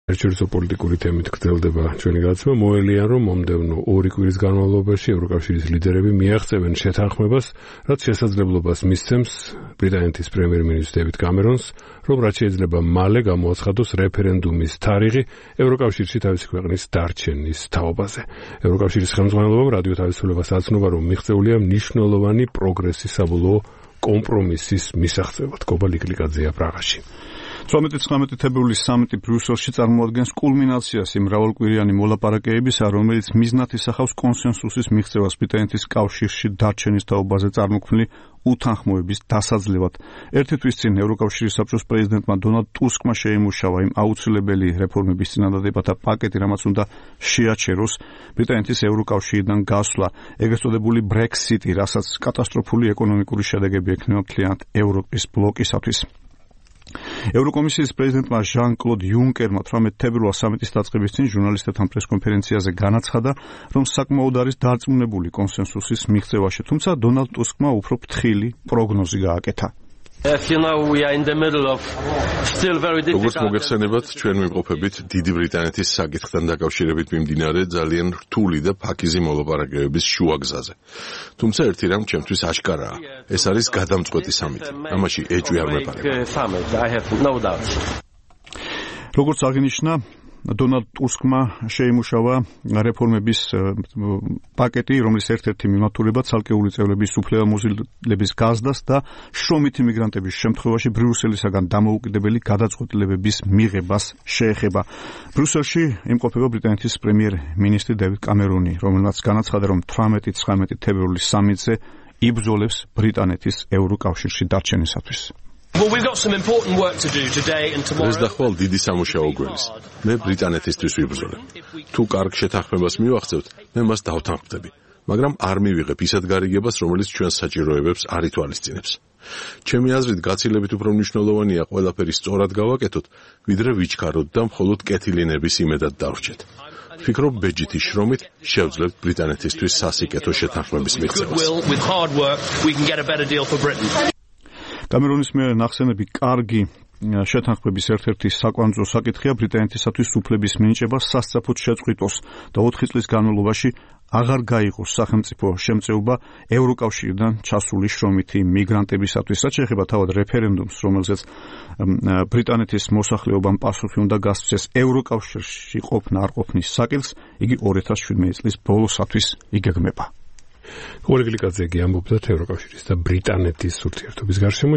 საერთაშორისო პოლიტიკური თემით გრძელდება ჩვენი გადაცემა. მოელიან, რომ მომდევნო 2 კვირის განმავლობაში ევროკავშირის ლიდერები მიაღწევენ შეთანხმებას, რაც შესაძლებლობას მისცემს ბრიტანეთის პრემიერ-მინისტრ დევიდ კამერონს, რომ რაც შეიძლება მალე გამოაცხადოს რეფერენდუმის თარიღი ევროკავშირში თავისი ქვეყნის დარჩენის თაობაზე. ევროკავშირის ხელმძღვანელობამ რადიო თავისუფლებას აცნობა, რომ მიღწეულია მნიშვნელოვანი პროგრესი საბოლოო კომპრომისის მისაღწევად. გობა ლიკლიკაძეა პრაღაში. 18-19 თებერვლის სამიტი ბრიუსელში წარმოადგენს კულმინაციას იმ მრავალკვირიანი მოლაპარაკებისა, რომელიც მიზნად ისახავს კონსენსუსის მიღწევას ბრიტანეთის კავშირში დარჩენის თაობაზე წარმოქმნილი უთანხმოების დასაძლევად. ერთი თვის წინ ევროკავშირის საბჭოს პრეზიდენტმა დონალდ ტუსკმა შეიმუშავა იმ აუცილებელი რეფორმების წინადადებათა პაკეტი, რამაც უნდა შეაჩეროს ბრიტანეთის ევროკავშირიდან გასვლა, ეგრეთ წოდებული ბრექსიტი, რასაც კატასტროფული ეკონომიკური შედეგები ექნება მთლიანად ევროპის ბლოკისათვის. ევროკომისიის პრეზიდენტმა ჟან-კლოდ იუნკერმა 18 თებერვალს სამიტის დაწყების წინ ჟურნალისტებთან პრესკონფერენციაზე განაცხადა, რომ sakmaud არის დარწმუნებული კონსენსუსის მიღწევაში, თუმცა დონალდ ტუსკმა უფრო ფრთხილი პროგნოზი გააკეთა. როგორც მოგეხსენებათ, ჩვენ ვიმყოფებით დიდი ბრიტანეთის საკითხთან დაკავშირებით მიმდინარე ძალიან რთული და ფაქიზი მოლაპარაკებების შუაგზაზე. თუმცა ერთი რამ ჩემთვის აშკარაა, ეს არის გადამწყვეტი სამიტი. ამაში ეჭვი არ მეპარება. როგორც აღინიშნა, დონალდ ტუსკმა შეიმუშავა რეფორმების პაკეტი, რომლის ერთ-ერთი მიმართულება ცალკეული წევრების უფლებამოსილების გაზრდას და შრომით იმიგრანტების შემთხვევაში ბრიუსელისაგან დამოუკიდებელი გადაწყვეტილებების მიღებას შეეხება. ბრიუსელში იმყოფება ბრიტანეთის პრემიერ-მინისტრი დევიდ კამერონი, რომელმაც განაცხადა, რომ 18-19 თებერვლის სამიტზე იბრძოლებს ბრიტანეთის ევროკავშირში დარჩენისათვის. ეს დახვალ დიდი სამუშაო გველის. მე ბრიტანეთისთვის ვიბრძოლებ. თუ კარგ შეთანხმებას მივახცევთ, მე მას დავთანხმდები, მაგრამ არ მივიღებ ისეთ გარიგებას, რომელიც ჩვენს საჭიროებებს არ ითვალისწინებს. ჩემი აზრით, გაცილებით უფრო მნიშვნელოვანია ყველაფერი სწორად გავაკეთოთ, ვიდრე ვიჩქაროთ და მხოლოდ კეთილინების იმედად დავრჩეთ. ვფიქრობ, ბეჯითი შრომით შევძლებთ ბრიტანეთისთვის სასიკეთო შეთანხმების მიღწევას. კამერონის მიერ ნახსენები კარგი შეთანხმების ერთ-ერთი საკვანძო საკითხია ბრიტანეთისათვის უფლების მინიჭება სასწრაფოდ შეწყვიტოს და 4 წლის განმავლობაში აღარ გაიყოს სახელმწიფო შემწეობა ევროკავშირიდან ჩასული შრომითი მიგრანტებისათვის. რაც შეეხება თავად რეფერენდუმს, რომელზეც ბრიტანეთის მოსახლეობამ პასუხი უნდა გასცეს ევროკავშირში ყოფნა არ ყოფნის საკითხს, იგი 2017 წლის ბოლოსათვის იგეგმება. გობა ლიკლიკაძე ამბობდა ევროკავშირის და ბრიტანეთის ურთიერთობის გარშემო.